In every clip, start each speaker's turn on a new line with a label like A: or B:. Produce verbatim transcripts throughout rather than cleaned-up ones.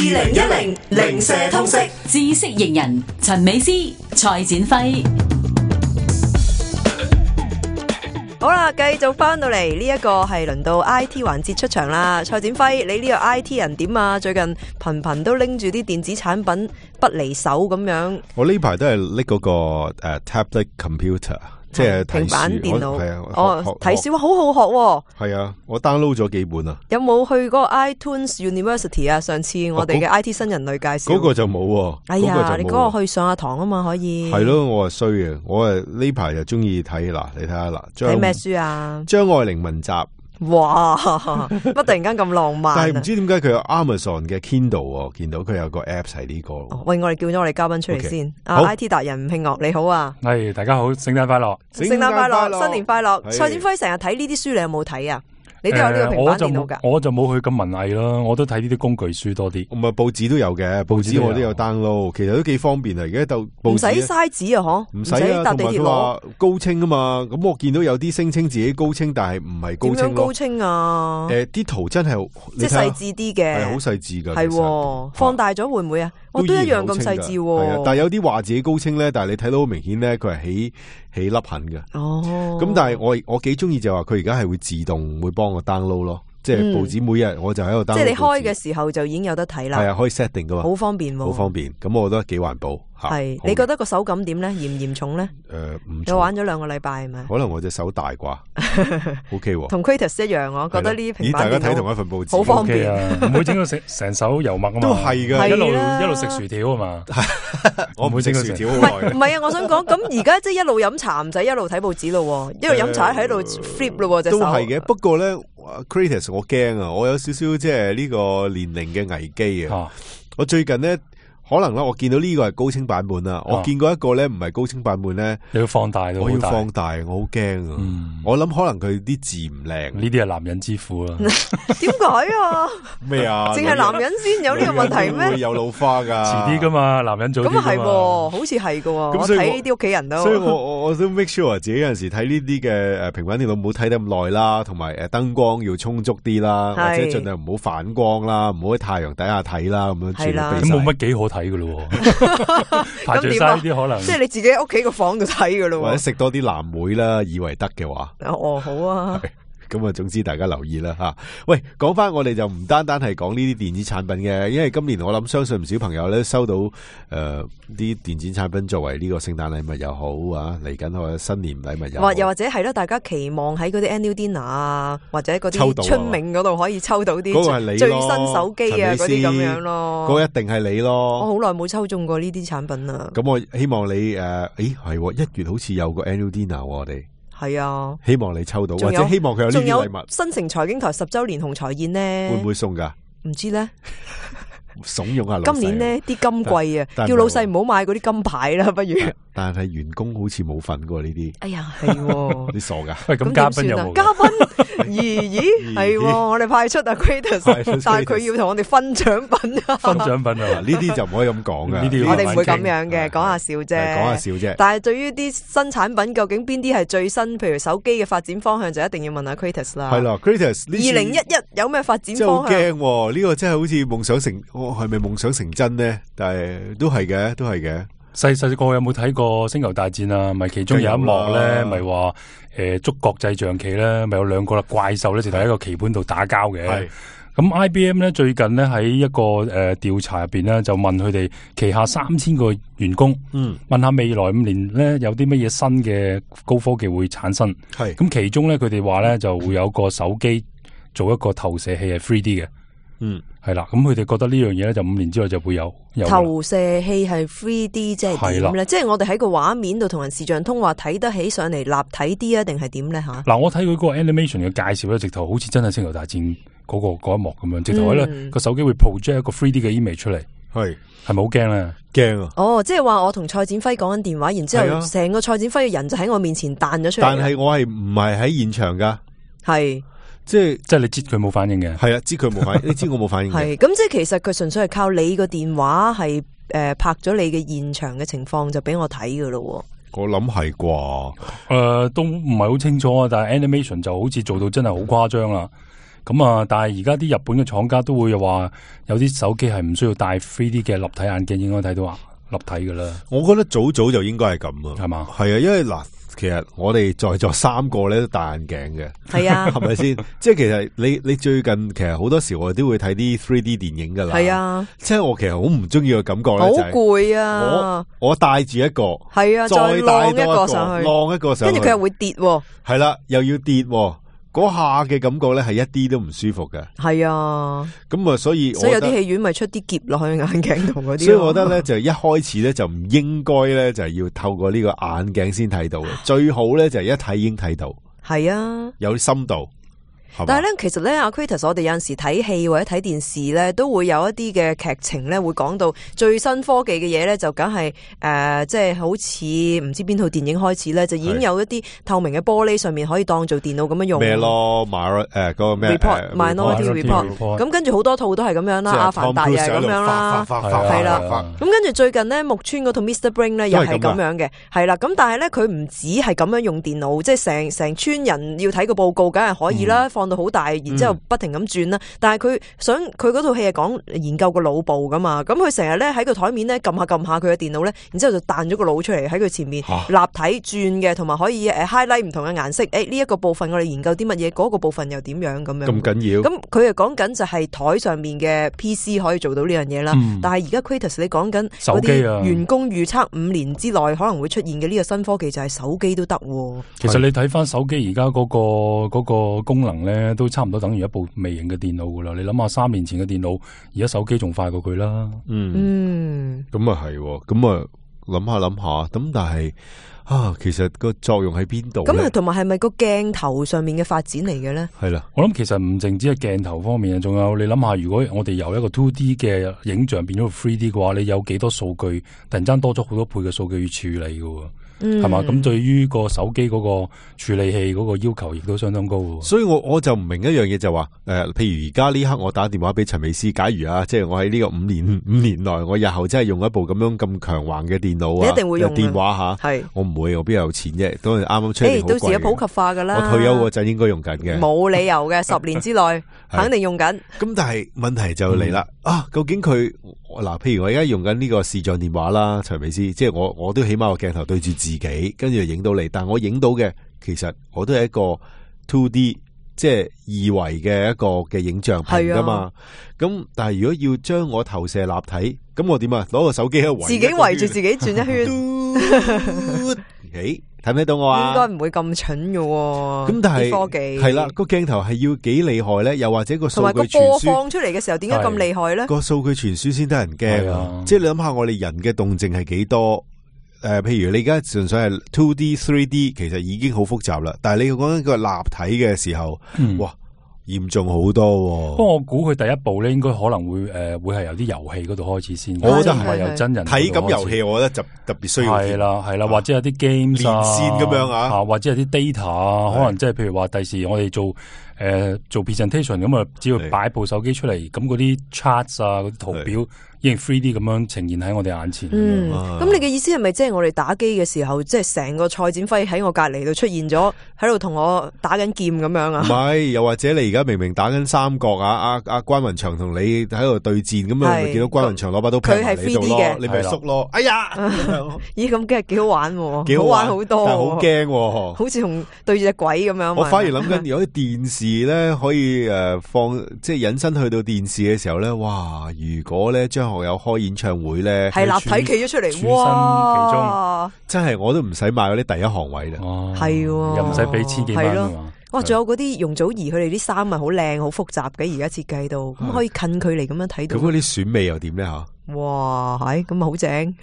A: 零一零零舍通識
B: 知識型人陳美詩、蔡展輝。
C: 好啦，繼續翻到嚟呢一個係輪到 I T 環節出場啦。蔡展輝，你呢個 I T 人點啊？最近頻頻都拎住啲電子產品不離手咁樣。
D: 我呢排都係拎嗰個誒、uh, tablet computer。即係
C: 平板電腦，
D: 係啊，
C: 哦，睇書好好學喎。
D: 係啊，我 download 咗幾本啊。
C: 有冇去嗰個 iTunes University 啊？上次我哋嘅 I T 新人類介紹，嗰
D: 個就冇喎。
C: 哎呀，你嗰個去上下堂啊嘛，可以。係
D: 咯，我係衰嘅，我係呢排就中意睇嗱，你睇下嗱，
C: 睇咩書啊？
D: 張愛玲文集。
C: 哇！乜突然間咁浪漫？
D: 但係唔知點解佢有 Amazon 嘅 Kindle， 見到佢有個 Apps 係呢個。
C: 喂，我哋叫咗我哋嘉賓出嚟先。啊 ，I T 達人吳慶岳，你好啊！
E: 係，大家好，聖誕快樂！
C: 聖誕快樂，新年快樂！蔡展輝成日睇呢啲書，你有冇睇啊？你都有呢個平板電腦噶？
E: 我就冇去咁文藝咯，我都睇呢啲工具書多啲。
D: 唔係報紙都有嘅，報紙我都有 download，其實都幾方便啊！而家就
C: 唔使嘥紙啊，嗬？
D: 唔使啊，
C: 搭地鐵攞
D: 高清啊嘛。咁我見到有啲聲稱自己高清，但係唔係高清咯。
C: 點樣高清啊？
D: 誒，啲圖真係
C: 即係細緻啲嘅，
D: 係好細緻噶。
C: 係放大咗會唔會啊？我都一樣咁細緻。
D: 係啊，但係有啲話自己高清咧，但係你睇到好明顯咧，佢係起起粒痕嘅。
C: 哦。
D: 咁但係我我幾中意就話佢而家係會自動會幫我 download 咯。即係報紙每日我就喺度 download。即係
C: 你開嘅時候就已經有得睇啦。
D: 係啊，可以 set 定噶嘛。
C: 好方便喎。
D: 好方便，咁我覺得幾環保。
C: 係，你覺得個手感點咧？嚴唔嚴重咧？
D: 誒，唔。
C: 你玩咗兩個禮拜係咪？
D: 可能我隻手大啩。O K 喎。
C: 同 Kratos 一樣，我覺得呢平板電腦。
D: 大家睇同一份報紙。
C: 好方便
E: 啊！唔會整到成成手油墨啊嘛。
D: 都係㗎，
E: 一路一路食薯條啊嘛。
D: 我唔會整到薯條好耐。
C: 唔係啊！我想講，咁而家即係一路飲茶唔使一路睇報紙咯，一路飲茶喺度 flip 咯隻手。
D: 都係嘅，不過咧 ，Kratos 我驚啊！我有少少即係呢個年齡嘅危機啊！我最近咧。可能啦，我見到呢個係高清版本啦，我見過一個咧唔係高清版本咧，
E: 你要放大到，
D: 我要放大，我好驚啊！我諗可能佢啲字唔靚，
E: 呢啲係男人之苦啦。
C: 點解啊？
D: 咩啊？
C: 淨係男人先有呢個問題咩？
D: 會有老花噶，
E: 遲啲噶嘛，男人早啲噶嘛。
C: 咁啊係，好似係噶。我睇呢啲屋企人都，
D: 所以我我我都 make sure 自己有陣時睇呢啲嘅誒平板電腦唔好睇得咁耐啦，同埋誒燈光要充足啲啦，或者盡量唔好反光啦，唔好喺太陽底下睇啦，咁樣
C: 係啦。
E: 咁冇乜幾好睇噶咯。排除晒呢啲可能，
C: 即係你自己喺屋企個房度睇噶咯，
D: 或者食多啲藍莓啦，以為得嘅話。
C: 哦，好啊。
D: 咁啊，總之大家留意啦吓。喂，講翻我哋就唔單單係講呢啲電子產品嘅，因為今年我諗相信唔少朋友咧收到誒啲、呃、電子產品作為呢個聖誕禮物又好啊，嚟緊或者新年禮物又好，
C: 又或者係咯，大家期望喺嗰啲 annual dinner 啊，或者嗰啲春茗嗰度可以抽到啲最新手機啊嗰啲咁樣咯。
D: 嗰個一定係你咯。
C: 我好耐冇抽中過呢啲產品啊。
D: 咁我希望你誒，誒、呃、係一月好似有個 annual dinner 我哋。
C: 係啊，
D: 希望你抽到，或者希望佢有呢啲禮物。
C: 新城財經台十周年紅財宴呢，
D: 會唔會送噶？
C: 唔知咧，
D: 慫恿下老細。
C: 今年呢啲金貴啊，叫老細唔好買嗰啲金牌啦，不如。
D: 但係員工好似冇份過呢啲。
C: 哎呀，係
D: 你傻噶？
E: 喂，咁嘉賓有冇？
C: 嘉賓，咦咦，係我哋派出阿 Kratos， 但係佢要同我哋分獎品啊！
E: 分獎品啊！
D: 呢啲就唔可以咁講噶。
E: 呢啲
C: 我哋唔會咁樣嘅，講下笑啫。
D: 講下笑啫。
C: 但係對於啲新產品，究竟邊啲係最新？譬如手機嘅發展方向，就一定要問下 Kratos 啦。
D: 係啦 ，Kratos，
C: 二零一一有咩發展方向？
D: 真係好驚，呢個真係好似夢想成，我係咪夢想成真呢？但係都係嘅，都係嘅。
E: 細細個有冇睇過《星球大戰》啊？咪其中有一幕咧，咪話誒捉國際象棋咧，咪有兩個啦怪獸咧，就喺一個棋盤度打交嘅。咁 I B M 咧最近咧喺一個誒調查入邊咧，就問佢哋旗下三千個員工，嗯，問下未來五年咧有啲乜嘢新嘅高科技會產生。係咁其中咧，佢哋話咧就會有個手機做一個投射器係 three D 嘅。嗯，係啦，咁佢哋覺得呢樣嘢咧，就五年之內就會有。有
C: 投射器係 three D， 即係點咧？即係我哋喺個畫面度同人視像通話睇得起上嚟立體啲啊，定係點咧吓？
E: 嗱，我睇佢嗰個 animation 嘅介紹咧，直頭好似真係星球大戰嗰、嗰個嗰一幕咁樣，直頭咧個手機會 project 一個 three D 嘅 image 出嚟，係係咪好驚咧？
D: 驚啊！
C: 哦，即係話我同蔡展輝講緊電話，然之後成個蔡展輝嘅人就喺我面前彈咗出嚟。
D: 但係我係唔係喺現場噶？
C: 係。
D: 即係
E: 即係你知佢冇反應嘅，
D: 係啊，知佢冇反應，你知我冇反應嘅。
C: 係咁，即係其實佢純粹係靠你個電話係誒拍咗你嘅現場嘅情況就俾我睇噶咯。
D: 我諗係啩，誒、
E: 呃、都唔係好清楚啊。但係 animation 就好似做到真係好誇張啦。咁啊，但係而家啲日本嘅廠家都會話有啲手機係唔需要戴 三 D 嘅立體眼鏡，應該睇到啊立體噶啦。
D: 我覺得早早就應該係咁啊，
E: 係嘛？
D: 係啊，因為嗱。其實我哋在座三個咧都戴眼鏡嘅，
C: 係啊，
D: 係咪先？即係其實你你最近其實好多時我哋都會睇啲 三 D 電影噶啦，
C: 係啊。即
D: 係我其實好唔中意個感覺咧，
C: 好攰啊！
D: 我我戴住一個，
C: 係啊，再晾一個上去，
D: 晾一個上去，
C: 跟住佢又會跌，
D: 係啦，又要跌。嗰下嘅感覺咧係一啲都唔舒服嘅，
C: 係啊，
D: 咁啊，所以
C: 所以有啲戲院咪出啲夾落去眼鏡同嗰啲，
D: 所以我覺得咧就一開始咧就唔應該咧就係要透過呢個眼鏡先睇到嘅，最好咧就係一睇已經睇到，
C: 係啊，
D: 有啲深度。
C: 但係咧，其實咧，阿 Kratos，我哋有陣時睇戲或者睇電視咧，都會有一啲嘅劇情咧，會講到最新科技嘅嘢咧，就梗係誒，即係好似唔知邊套電影開始咧，就已經有一啲透明嘅玻璃上面可以當做電腦咁樣用
D: 咩咯？誒嗰個咩
C: report，minority report，咁跟住好多套都係咁樣啦，阿凡達又係咁樣啦，係啦，咁跟住最近咧，木村嗰套 Mister Brain 咧又係咁樣嘅，係啦，咁但係咧佢唔止係咁樣用電腦，即係成成村人要睇個報告，梗係可以啦，放到好大，然之後不停咁轉啦。嗯、但係佢想佢嗰套戲係講研究個腦部噶嘛，咁佢成日咧喺個台面咧撳下撳下佢嘅電腦咧，然之後就彈咗個腦出嚟喺佢前面、啊、立體轉嘅，同埋可以誒 highlight 唔同嘅顏色。誒呢一個部分我哋研究啲乜嘢，嗰、嗰個部分又點樣咁樣？咁
D: 緊要？
C: 咁佢係講緊就係台上面嘅 P C 可以做到呢樣嘢啦。嗯、但係而家 Kratos 你講緊嗰啲員工預測五年之內可能會出現嘅呢個新科技就係手機都得。
E: 其實你睇翻手機而家嗰個嗰、嗰個功能咧，都差唔多等於一部微型嘅電腦噶啦。你諗下三年前嘅電腦，而家手機仲快過佢啦。
D: 嗯，咁啊係，咁啊諗下諗下，咁但係啊，其實個作用喺邊度？
C: 咁啊，同埋係咪個鏡頭上面嘅發展嚟嘅咧？
D: 係啦，
E: 我諗其實唔淨止係鏡頭方面啊，仲有你諗下，如果我哋由一個 two D 嘅影像變咗個 three D 嘅話，你有幾多數據突然間多咗好多倍嘅數據要處理噶？係嘛？咁、嗯、對於個手機嗰個處理器嗰個要求，亦都相當高。
D: 所以我我就唔明一樣嘢，就話、是、誒、呃，譬如而家呢刻我打電話俾陳美斯，假如啊，即係我喺呢個五年五年內，我日後真係用一部咁樣咁強橫嘅電腦啊，
C: 你一定會用
D: 電話吓，係我唔會，我邊有錢啫？都係啱啱出嚟好貴嘅。
C: 到時有普及化噶啦。
D: 我退休嗰陣應該用緊嘅，
C: 冇理由嘅，十年之內肯定用緊。咁
D: 但係問題就嚟啦、嗯，啊，究竟佢嗱？譬如我而家用緊呢個視像電話啦，陳美斯，即係我我都起碼個鏡頭對住自己，跟住。影到你，但我影到嘅其實我都係一個 two D， 即係二維嘅一個嘅影像屏噶嘛。咁、啊、但係如果要將我投射立體，咁我點啊？攞個手機喺度圍自己圍住自己轉一圈。誒，睇唔睇到我啊？
C: 應該唔會咁蠢嘅。
D: 咁但係
C: 科技
D: 係啦，個鏡頭係要幾厲害咧？又或者個數據傳輸，同埋個
C: 播放出嚟嘅時候，點解咁厲害咧？
D: 個數據傳輸先得人驚啊！即係你諗下，我哋人嘅動靜係幾多？誒、呃，譬如你而家純粹係 two D、three D， 其實已經好複雜啦。但係你講緊個立體嘅時候，嗯、哇，嚴重好多、啊。不過
E: 我估佢第一步咧，應該可能會誒、呃，會係由啲遊戲嗰度開始先。我覺得係由真人
D: 體感遊戲，我覺得就特別需要。
E: 係啦，係啦，或者有啲 games 啊，
D: 連線咁樣啊，
E: 啊，或者有啲 data 啊，可能即係譬如話第時我哋做。誒、呃，做 presentation 咁啊，只要擺部手機出嚟，咁嗰啲 charts 啊，嗰啲圖表已經 three D 咁樣呈現喺我哋眼前。
C: 嗯，咁你嘅意思係咪即係我哋打機嘅時候，即係成個蔡展輝喺我隔籬度出現咗，喺度同我打緊劍咁樣啊？
D: 唔係，又或者你而家明明打緊三角啊，阿阿關雲長同你喺度對戰，咁啊，見到關雲長攞把刀劈埋你度咯，你咪縮咯。哎呀，
C: 咦，咁梗係幾好玩，幾好玩好多，
D: 但係好驚，
C: 好似同對住隻鬼咁樣。
D: 我反而諗緊，如果啲電視咧可以誒放，即係引申去到電視嘅時候咧，哇！如果咧張學友開演唱會咧，
C: 係立體企咗出嚟，哇！
D: 真係我都唔使買嗰啲第一行位啦，
C: 係
E: 又唔使俾千幾蚊啊嘛！
C: 哇！仲有嗰啲容祖兒佢哋啲衫咪好靚好複雜嘅，而家設計到咁可以近距離咁樣睇到。
D: 咁嗰啲選美又點咧吓？
C: 哇，係咁啊，好正！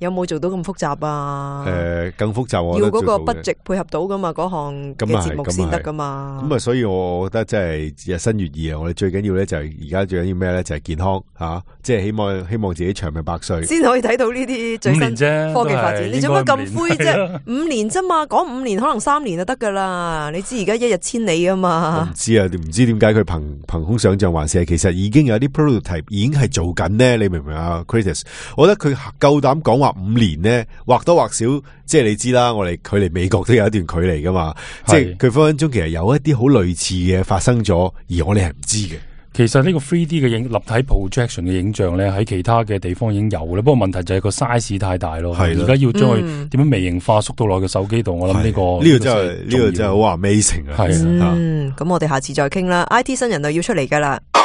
C: 有冇做到咁複雜啊？
D: 誒、呃，更複雜我
C: 要嗰個 budget 配合到噶嘛，嗰項嘅節目先得噶嘛。
D: 咁啊，所以我覺得真係日新月異啊！我哋最緊要咧就係而家最緊要咩咧？就係、是、健康吓、啊，即係希望希望自己長命百歲，
C: 先可以睇到呢啲最新科技發展。你做乜咁灰啫？五年啫嘛，講五年可能三年就得噶啦。你知而家一日千里啊嘛。我唔
D: 知啊，唔知點解佢憑憑空想象，還是係其實已經有啲 prototype 已經係做緊呢？你明唔明啊 ？Chris， 我覺得佢夠膽講話五年咧，或多或少，即係你知啦，我哋距離美國都有一段距離噶嘛，即係佢分分鐘其實有一啲好類似嘅發生咗，而我哋係唔知嘅。
E: 其實呢個 三 D 嘅影立體 projection 嘅影像咧，喺其他嘅地方已經有啦。不過問題就係個 size 太大咯。而家要將佢點樣微型化縮到落個手機度，我諗呢個
D: 呢個真係呢個真係好 amazing 啊！
E: 係啊，
C: 嗯，咁我哋下次再傾啦。I T 新人就要出嚟噶啦。
A: 二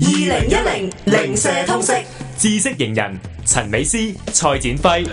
A: 零一零零舍通識
F: 知識型人陳美斯、蔡展輝。